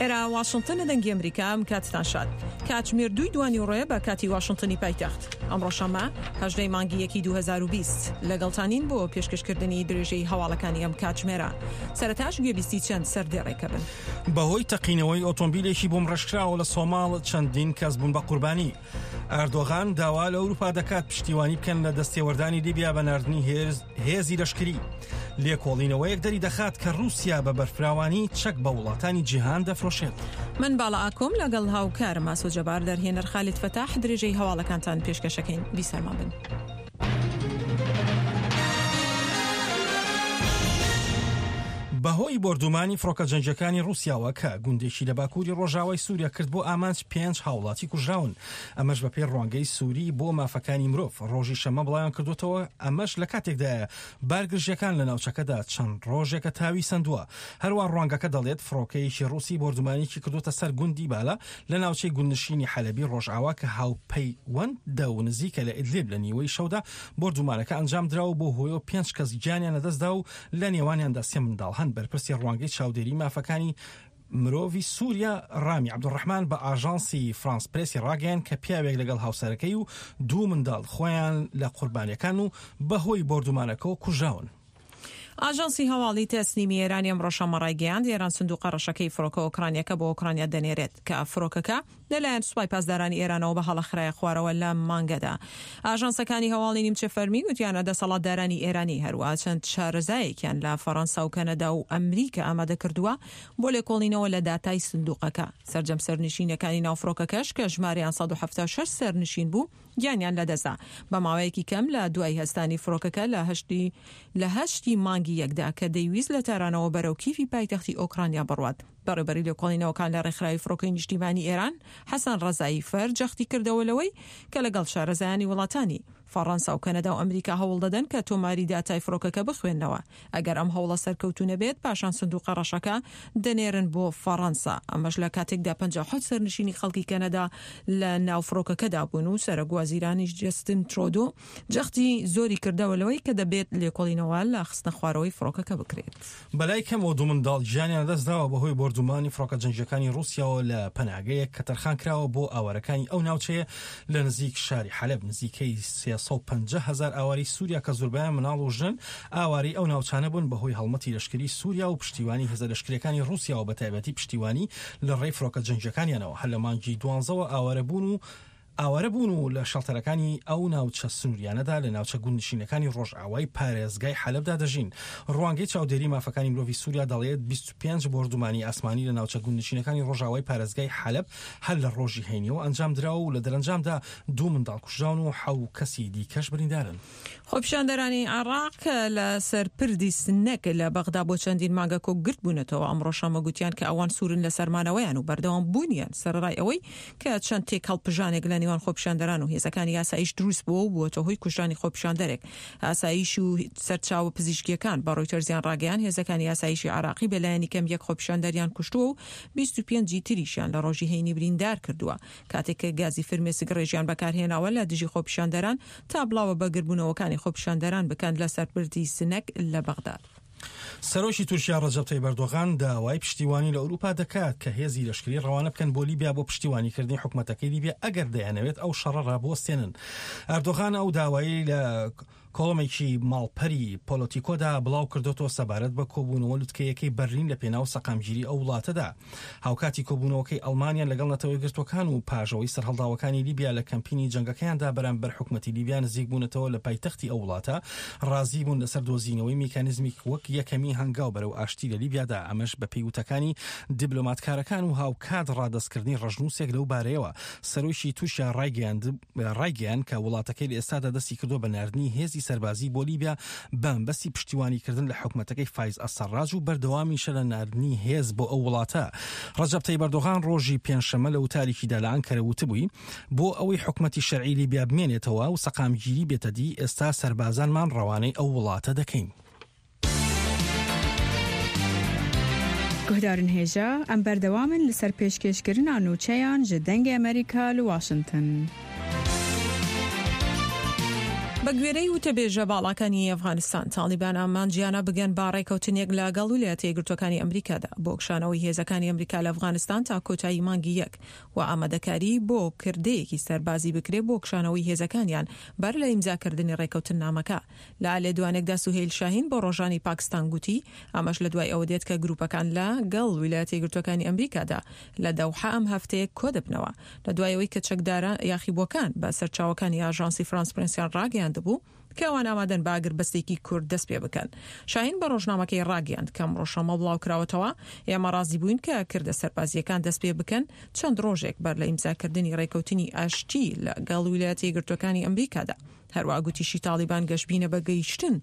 ئێرە واشنتنە دەنگی ئەمریکا ئەم کاتتان شاد. کاتژمێر دووی دوانیوڕۆیە بە کاتی واشنتنی پایتەخت. ئەمڕۆ شەممە هەژدەی مانگی یەکی 2020 لەگەڵتانین بۆ پێشکەشکردنی درێژەی هەواڵەکانی ئەم کاتژمێرە. سەرەتاش گوێبیستی چەند سەردێڕێکە بن. بەهۆی تەقینەوەی ئۆتۆمبیلێکی بۆمبڕێژکراوە لە سۆماڵ چەندین کەس بوون بە قوربانی. ئەردۆغان داوا لە ئەوروپا دەکات پشتیوانی بکەن لە دەستێوەردانی لیبیا بە ناردنی هێزی لەشکری. لێکۆڵینەوەیەک دەری دەخات کە رووسیا بە بەرفراوانی چەک بە وڵاتانی جیهان دەفرۆشێت. من باڵا ئاکۆم لەگەڵ هاوکارم ئاسۆ جەبار دەرهێنەر خالید فەتاح درێژەی هەواڵەکانتان پێشکەشەکەین بیسەرمان بن. بەهۆی بۆردومانی فڕۆکە جەنگیەکانی ڕووسیاوە کە گوندێکی لە باکووری ڕۆژاوای سووریا کرد بۆ ئامانج پێنج هاوڵاتی کوژراون ئەمەش بەپێی ڕوانگەی سووری بۆ مافەکانی مرۆڤ ڕۆژی شەممە بڵاویان کردوتەوە ئەمەش لە کاتێکدایە بارگرژیەکان لە ناوچەکەدا چەند ڕۆژێکە تاوی سەندووە هەروە ڕوانگەکە دەڵێت فڕۆکەیەکی ڕووسی بۆردومانێکی کردوتە سەر گوندی بالا لە ناوچەی گوندنشینی حەلەبی ڕۆژئاوا کە هاوپەیوەندە و نزیکە لە ئیدلیب لە نیوەی شەودا بۆردومانەکە ئەنجامدرا و بەو هۆیەوە پێنج کەس گیانیان لەدەستدا و لە نێوانیاندا سێ منداڵ هەن. بەرپرسی ڕوانگەی چاودێری مافەکانی مرۆڤی سووریا ڕامی عەبدولڕەحمان بە ئاژانسی فرانس پرێسی ڕاگەیاند کە پیاوێک لەگەڵ هاوسەرەکەی و دوو منداڵ خۆیان لە قوربانیەکان و بەهۆی بۆردومانەکەوە کوژراون. ئاژانسی هەواڵی تەسنیمی ئێرانی ئەمڕۆ شەممە ڕایگەیاند، ئێران سندوقە ڕەشەکەی فڕۆکە ئۆکرانییەکە بۆ ئۆکرانیا دەنێرێت، کە فڕۆکەکە لەلایەن سوپای پاسدارانی ئێرانەوە بە هەڵە خرایە خوارەوە لەم مانگەدا. ئاژانسەکانی هەواڵی نیمچە فەرمی گوتیانە دەسەڵاتدارانی ئێرانی هەروەها چەند شارەزایەکیان لە فەڕەنسا و کەنەدا و ئەمریکا ئامادە کردووە بۆ لێکۆڵینەوە لە داتای سندوقەکە. سەرجەم سەرنشینەکانی ناو فڕۆکەکەش کە ژمارەیان 176 سەرنشین بوو، گیانیان لەدەستدا. بە ماوەیەکی کەم لە دوای هەستانی فڕۆکەکە لە هەشتی لە هەشتی مانگی یەکدا کە دەیویست لە تارانەوە بەرەو کیفی پایتەختی ئۆکرانیا بڕوات. بەڕێوبەری لێکۆڵینەوەکان لە ڕێکخراوی فڕۆکەی نیشتیمانی ئێران، حەسەن ڕەزایی فەر جەختی کردەوە لەوەی کە لەگەڵ شارەزایانی وڵاتانی فەڕەنسا و کەنەدا و ئەمریکا هەوڵ دەدەن کە تۆماری داتای فڕۆکەکە بخوێننەوە. ئەگەر ئەم هەوڵە سەرکەوتوو نەبێت، پاشان سندوقە ڕەشەکە دەنێرن بۆ فەڕەنسا. ئەمەش لە کاتێکدا 57 سەرنشینی خەڵکی کەنەدا لە ناو فڕۆکەکەدا بوون و سەرۆک وەزیرانیش جەستن ترۆدۆ جەختی زۆری کردەوە لەوەی کە دەبێت لێکۆڵینەوە لە خستنەخوارەوەی فڕۆکەکە بکرێت. بەلای کەمەوە دوو منداڵ گیانیان لەدەستداوە بەهۆی بۆردومانی فڕۆکە جەنگییەکانی ڕووسیاوە لە پەناگەیەک کە تەرخانکراوە بۆ ئاوارەکانی ئەو ناوچەیە لە نزیک شاری حەلەب. نزیکەی 350 هەزار ئاوارەی سووریا کە زۆربەیان منداڵ و ژنن ئاوارەی ئەو ناوچانە بوون بەهۆی هەڵمەتی لەشکری سووریا و پشتیوانی هێزە لەشکرییەکانی ڕووسیاوە بەتایبەتی پشتیوانی لە ڕێی فڕۆکە جەنگییەکانیانەوە هەر لە مانگی دوانزەوە ئاوارەبوون و ئاوارە بوون و لە شەڵتەرەکانی ئەو ناوچە سنووریانەدا لە ناوچە گوندنشینەکانی ڕۆژئاوای پارێزگای حەلەبدا دەژین. ڕوانگەی چاودێری مافەکانی مرۆڤی سووریا دەڵێت، 25 بۆردومانی ئاسمانی لە ناوچە گوندنشینەکانی ڕۆژئاوای پارێزگای حەلەب هەر لە ڕۆژی هەینیەوە ئەنجامدراوە و لە دەرەنجامدا دوو منداڵ کوژراون و حەو کەسی دیکەش بریندارن. خۆپیشاندەرانی عێراق کە لە سەر پردی سنەک لە بەغدا بۆ چەندین مانگە کۆگرت بوونەتەوە، ئەمڕۆ شەممە گوتیان کە ئەوان سوورن لەسەر مانەوەیان و بەردەوام بوونیان، سەرەڕای ئەوەی کە چەند تێکهەڵپژانێک لە نێوان خۆپیشاندەران و هێزەکانی ئاسایش دروست بووە و بووەتە هۆی کوژرانی خۆپیشاندەرێک. ئاسایش و سەرچاوە پزیشکییەکان بە ڕۆیتەرزیان ڕاگەیاند، هێزەکانی ئاسایشی عێراقی بە لایەنی کەم یەک خۆپیشاندەریان کوشتووە و 25 ی تریشیان لە ڕۆژی هەینی بریندار کردووە کاتێک کە گازی فرمێسک ڕێژیان بەکارهێناوە لە دژی خۆپیشاندەران تا بڵاوە بە گردبوونەوەکانی خۆپیشاندەران بکەن لەسەر پردی سنەک لە بەغداد. سەرۆکی تورکیا ڕەجەب تەیب ئەردۆغان داوای پشتیوانی لە ئەوروپا دەکات کە هێزی لەشکری ڕەوانە بکەن بۆ لیبیا بۆ پشتیوانیکردنی حکومەتەکەی لیبیا ئەگەر دەیانەوێت ئەو شەڕە ڕابوەستێنن. ئەردۆغان ئەو داوایەی لە کۆڵۆمێکی ماڵپەری پۆلۆتیکۆدا بڵاو کردۆتەوە سەبارەت بە کۆبوونەوە لوتکەیەکەی بەرلین لە پێناو سەقامگیری ئەو وڵاتەدا. هاوکاتی کۆبوونەوەکەی ئەڵمانیا لەگەڵ نەتەوە یەکگرتووەکان و پاش ئەوەی سەرهەڵداوەکانی لیبیا لە کەمپینی جەنگەکەیاندا بەرامبەر حکومەتی لیبیا نزیک بوونەتەوە لە پایتەختی ئەو وڵاتە ڕازی بوون لەسەر دۆزینەوەی میکانیزمیک وەک یەکەمین هەنگاو بەرەو ئاشتی لە لیبیادا ئەمەش بەپێی وتەکانی دیبلۆماتکارەکان و هاوکات ڕادەستکردنی ڕەشنووسێک لەو بارەیەوە سەرۆکی تورکیا ڕایگەیاند ڕایگەیاند کە وڵاتەکەی لە ئێستادا دەستی کردووە بە ناردنی هێزی سەربازی بۆ لیبیا بە مەبەستی پشتیوانیکردن لە حکومەتەکەی فایز ئەلسەڕاج و بەردەوامیشە لە ناردنی هێز بۆ ئەو وڵاتە. ڕەجەب تەیب ئەردۆغان ڕۆژی پێنجشەممە لە وتارێکیدا لە ئەنکەرە وتبووی، بۆ ئەوەی حکومەتی شەرعی لیبیا بمێنێتەوە و سەقامگیری بێتە دی، ئێستا سەربازانمان ڕەوانەی ئەو وڵاتە دەکەین. Guhdarên hêja, em berdewam in li ser pêşkêşkirina nûçeyan ji Dengê Amerîka li Washington. بە گوێرەی وتەبێژە باڵاکانی ئەفغانستان، تاڵیبان ئامانجیانە بگەن بە ڕێکەوتنێک لەگەڵ ویلایەتە یەکگرتووەکانی ئەمریکادا بۆ کشانەوەی هێزەکانی ئەمریکا لە ئەفغانستان تا کۆتایی مانگی یەک و ئامادەکاری بۆ کردەیەکی سەربازی بکرێت بۆ کشانەوەی هێزەکانیان بەر لە ئیمزاکردنی ڕێکەوتننامەکە. لە لێدوانێکدا سوهەیل شاهین بۆ ڕۆژانی پاکستان گوتی، ئەمەش لە دوای ئەوە دێت کە گروپەکان لە گەڵ ویلایەتە یەکگرتووەکانی ئەمریکادا لە دەوحە ئەم هەفتەیە کۆدەبنەوە لە دوای ئەوەی کە چەکدارە یاخیبووەکان بە سەرچاوەکانی ئاژانسی فرانس پرێنسیان ڕاگەیاندبوو کە ئەوان ئامادەن بە ئاگربەستێکی کورت دەست پێ بکەن. شاهین بە ڕۆژنامەکەی ڕاگەیاند کە ئەمڕۆ شەممە بڵاوکراوەتەوە، ئێمە ڕازی بووین کە کردە سەربازییەکان دەست پێ بکەن چەند ڕۆژێک بەر لە ئیمزاکردنی ڕێکەوتنی ئاشتی لە گەڵ ویلایەتە یەکگرتووەکانی ئەمریکادا. هەروەها گوتیشی تاڵیبان گەشبینە بە گەیشتن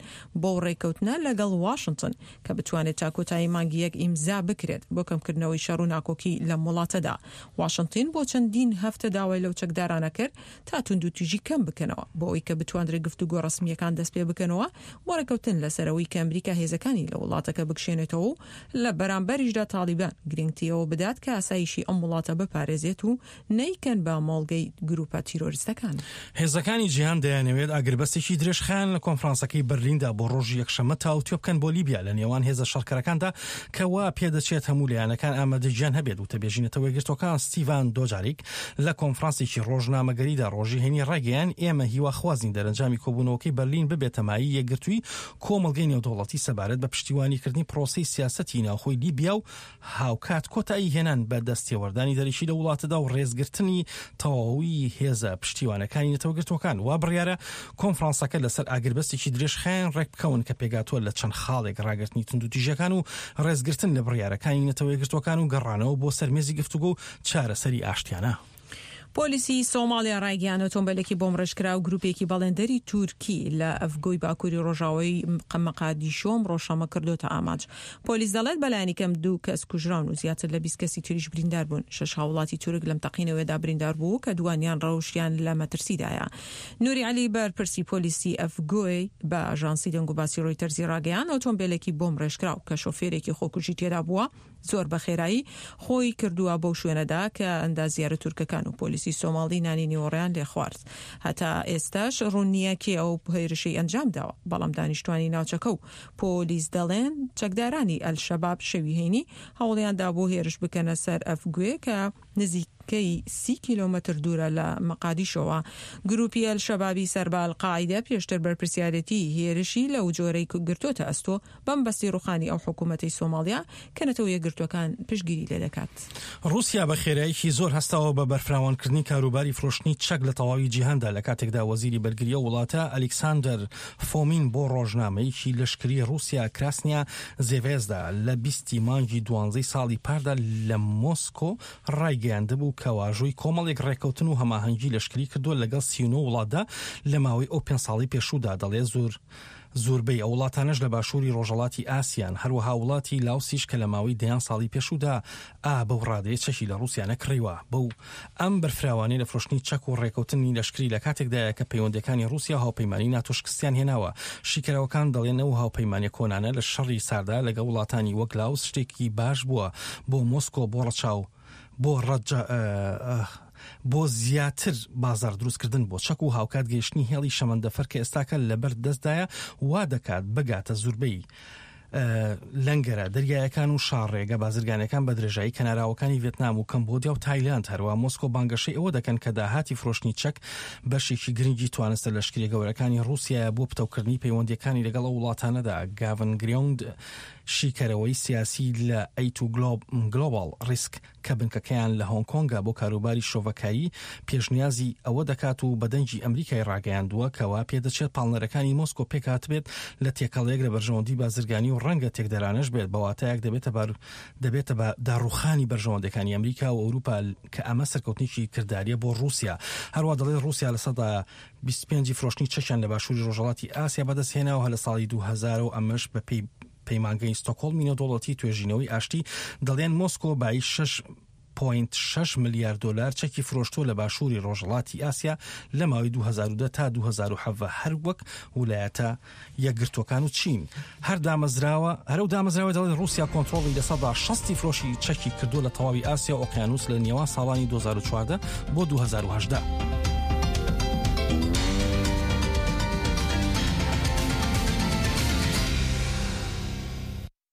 بەو ڕێککەوتنە لەگەڵ واشنتن کە بتوانێت تا کۆتایی مانگی یەک ئیمزا بکرێت بۆ کەمکردنەوەی شەڕ و ناکۆکی لەم وڵاتەدا. واشنتن بۆ چەندین هەفتە داوای لەو چەکدارانە کرد تا توندوتیژی کەم بکەنەوە بۆ ئەوەی کە بتواندرێت گفتوگۆ ڕەسمییەکان دەستپێبکەنەوە بۆ ڕێککەوتن لەسەر ئەوەی کە ئەمریکا هێزەکانی لە وڵاتەکە بکشێنێتەوە و لە بەرامبەریشدا تاڵیبان گرنگتی ئەوە بدات کە ئاسایشی ئەم وڵاتە بپارێزێت و نەیکەن بە مۆڵگەی گروپە تیرۆریستەکان. هێزەکانی جیهان دەیانەوێت ئاگربەستێکی درێژخایەن لە کۆنفرانسەکەی بەرلیندا بۆ ڕۆژی یەکشەممە تاوتوێ بکەن بۆ لیبیا لە نێوان هێزە شەڕکەرەکاندا کە وا پێدەچێت هەموو لایەنەکان ئامادەگیان هەبێت. وتەبێژی نەتەوە یەکگرتووەکان ستیڤان دۆجاریک لە کۆنفرانسێکی ڕۆژنامەگەریدا ڕۆژی هەینی ڕایگەیاند، ئێمە هیواخوازین دەرەنجامی کۆبوونەوەکەی بەرلین ببێتە مایەی یەکگرتووی کۆمەڵگەی نێودەوڵەتی سەبارەت بە پشتیوانیکردنی پرۆسەی سیاسەتی ناوخۆی لیبیا و هاوکات کۆتایی هێنان بە دەستێوەردانی دەرەکی لە وڵاتەدا و ڕێزگرتنی تەواوی هێزە پشتیوانەکانی نەتەوەگرتووەکان. وا بڕیارە کۆنفرانسەکە لەسەر ئاگربەستێکی درێژخایەن ڕێکبکەون کە پێکهاتووە لە چەند خاڵێک، ڕاگرتنی توندوتیژیەکان و ڕێزگرتن لە بڕیارەکانی نەتەوەیەکگرتووەکان و گەڕانەوە بۆ سەر مێزی گفتوگۆ و چارەسەری ئاشتیانە. پۆلیسی سۆماڵیا ڕایگەیاند ئۆتۆمبێلێکی بۆمبڕێژکراو گروپێکی بەڵێندەری تورکی لە ئەفگۆی باکووری ڕۆژاوای مەقادیشۆ ئەمڕۆ شەممە کردۆتە ئامانج. پۆلیس دەڵێت بەلایەنی کەم دوو کەس کوژراون و زیاتر لە 20 کەسی تریش بریندار بوون. شەش هاووڵاتی تورک لەم تەقینەوەیەدا بریندار بوو کە دووانیان ڕەوشیان لە مەترسیدایە. نوری عەلی بەرپرسی پۆلیسی ئەفگۆی بە ئاژانسی دەنگوباسی ڕۆیتەرزی ڕاگەیاند ئۆتۆمبێلێکی بۆمبڕێژکراو کە شۆفێرێکی خۆکوژی تێدا بووە زۆر بە خێرایی خۆی کردووە بەو شوێنەدا کە ئەندازیارە تورکەکان و پۆلیسی سۆماڵی نانی نیوەڕۆیان لێخوارد. هەتا ئێستاش ڕوون نییە کێ ئەو هێرشەی ئەنجام داوە، بەڵام دانیشتوانی ناوچەکە و پۆلیس دەڵێن چەکدارانی ئەلشەباب شەوی هەینی هەوڵیان دابوو هێرش بکەنە سەر ئەفگوێ کە نزیکەی 30 کیلۆمەتر دوورە لە مەقادیشۆوە. گروپی ئەلشەبابی سەر بە ئەلقاعیدە پێشتر بەرپرسیارێتی هێرشی لەو جۆرەی گرتۆتە ئەستۆ بەمەبەستی ڕوخانی ئەو حکومەتەی سۆماڵیا کە نەتەوە یەکگرتووەکان پشتگیری لێدەکات. ڕووسیا بە خێراییەکی زۆر هەستاوە بە بەرفراوانکردنی کاروباری فرۆشتنی چەک لە تەواوی جیهاندا لە کاتێکدا وەزیری بەرگری ئەو وڵاتە ئەلیکساندەر فۆمین بۆ ڕۆژنامەیەکی لەشکری ڕووسیا کراسنیا زێڤێزدا لە بیستی مانگی دوانزەی ساڵی پاردا لە مۆسکۆ ڕایگەیاندبوو کە واژۆی کۆمەڵێک ڕێککەوتن و هەماهەنگی لەشکری کردووە لەگەڵ 39 وڵاتدا لە ماوەی ئەو پێنج ساڵەی پێشوودا دەڵێ زۆر زۆربەی ئەو وڵاتانەش لە باشووری ڕۆژهەڵاتی ئاسیان، هەروەها وڵاتی لاوسیش کە لە ماوەی دەیان ساڵی پێشوودا ئا بەو ڕادەیە چەکی لە ڕووسیا نەکڕیوە. بەو ئەم بەرفراوانیە لە فرۆشتنی چەک و ڕێکەوتنی لەشکری لە کاتێکدایە کە پەیوەندیەکانی ڕووسیا و هاوپەیمانی ناتۆ شکستیان هێناوە. شیکەرەوەکان دەڵێن ئەو هاوپەیمانیە کۆنانە لە شەڕی ساردا لەگەڵ وڵاتانی وەک لاوس شتێکی باش بووە بۆ مۆسکۆ بۆ ڕەچاو بۆ ڕەجە بۆ زیاتر بازاڕ دروستکردن بۆ چەک و هاوکات گەیشتنی هێڵی شەمەندەفەر کە ئێستاکە لەبەر دەستدایە وا دەکات بگاتە زوربەی لەنگەرە دەریایەکان و شاڕێگە بازرگانەکان بە درێژایی کەناراوەکانی ڤێتنام و کەمبۆدیا و تایلند هەروە مۆسکۆ بانگەشەی ئەوە دەکەن کە داهاتی فرۆشتنی چەک بەشێکی گرنگی توانستە لەشکریە گەورەکانی ڕووسیایە بۆ پتەوکردنی پەیوەندیەکانی لەگەڵ ئەو وڵاتانەدا گاڤن گریۆند شیکەرەوەی سیاسی لە ئەی تو گلۆباڵ ڕیسک کە بنکەکەیان لە هۆنگ کۆنگە بۆ کاروباری شرۆڤەکاری، پێشنیازی ئەوە دەکات و بە دەنگی ئەمریکای ڕاگەیاندووە کە وا پێدەچێت پاڵنەرەکانی مۆسکۆ پێکهاتبێت لە تێکەڵەیەک لە بەرژەوەندی بازرگانی و ڕەنگە تێکدەرانەش بێت بە واتایەک دەبێتە بار دەبێتە بە داڕووخانی بەرژەوەندەکانی ئەمریکا و ئەوروپا کە ئەمە سەرکەوتنێکی کرداریە بۆ ڕووسیا هەروا دەڵێت ڕووسیا 25% فرۆشتنی چەکیان لە باشووری ڕۆژهەڵاتی ئاسیا بەدەستهێناوە لە ساڵی 2000 و ئەمەش بەپێی پەیمانگەی ستۆکهۆڵمی نێودەوڵەتی توێژینەوەی ئاشتی دەڵێن مۆسکۆ بایی 6.6 ملیار دۆلار چەکی فرۆشتووە لە باشووری ڕۆژهەڵاتی ئاسیا لە ماوەی 2010 تا 2017 هەر وەک ولایەتە یەکگرتووەکان و چین. هەر دامەزراوە هەر ئەو دامەزراوە دەڵێت ڕووسیا کۆنترۆڵی 60% فرۆشی چەکی کردووە لە تەواوی ئاسیا و ئۆقیانوس لە نێوان ساڵانی 2014 بۆ 2018.